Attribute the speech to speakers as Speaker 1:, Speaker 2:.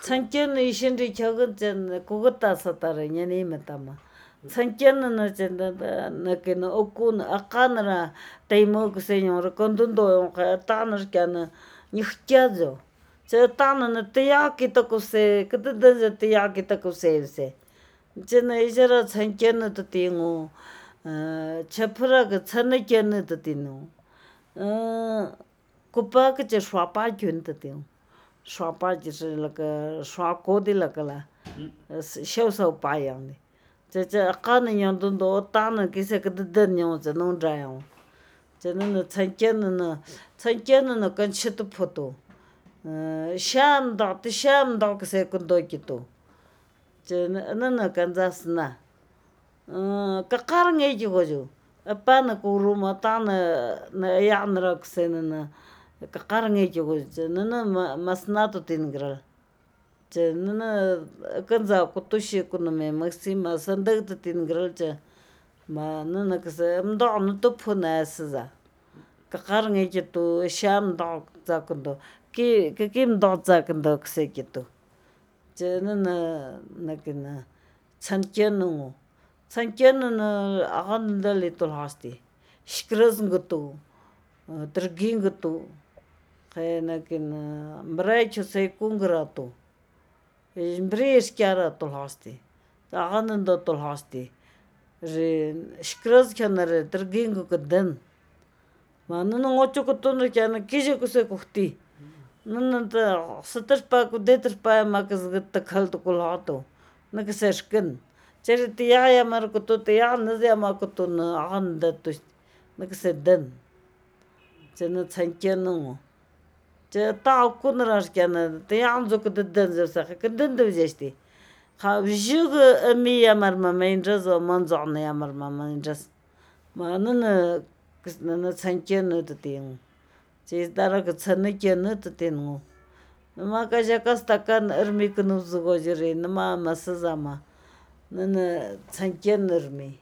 Speaker 1: Sankyana ishindri kyagun chan kugata satara ñanimatama. Sankyana na chanda nakina okuna aqanara taymo kuseñora kondundo yonqa tanar kyana ñuhkiayo. Cha tanana tiyakita kuse katadancha tiyakita kusevse. Chana ishara sankyanata tingu chapraga chanakyanata tinu. Kupakacha xwapakyunta tingu. Xwapachish laka xwakodi lakala xausau payangni. Chacha aqana ñandundo tana kisa katadan ñawcha nundrayawa. Chanana chankyanana kanchita photo. Shamdaw kase kundokitu. Nana kansasna. Kaqarangay goyo. Apana kuruma tana yanra kusenana. Kaqarangay goyo. Nana masnato tinigral. Nana kansa kutushi kuname maxima sandagta tinigralcha. Nana kase mdaw nutupuna asiza. Kaqarangay kitu shamdaw tsakundo. Kikimdaw tsakundo kusekitu. Nana nakina chankyanangu. Chankyanana aqandali tulhasti. Shkrazngatu, trigingatu, kay nakina mbraychu saykungratu. Mbriy ishkiara tulhasti. Aqandando tulhasti. Shkrazkyanara trigingu kadan. Nana ngochukutuna kyana kisha kusekuhti. Nana satashpaku detrashpaya makasgata khaltu kulhatu. Nakasashkan. Chari tiyaya markutu tiya nasyamankutuna aqandatush. Nakasadan. Chana chankyanangu. Cha tawkunarash kyana tiyanzu katadanzasaq kadandawllashti. Qhawlluga amiyamarma maynrasqa manzoqna yamarma maynras. Nana chankyanata tiyangu. Chaysdaraka chanakyanata tinangu. Maka llakastaka irmikunawllari nama masasama. Nana chankyanarmi.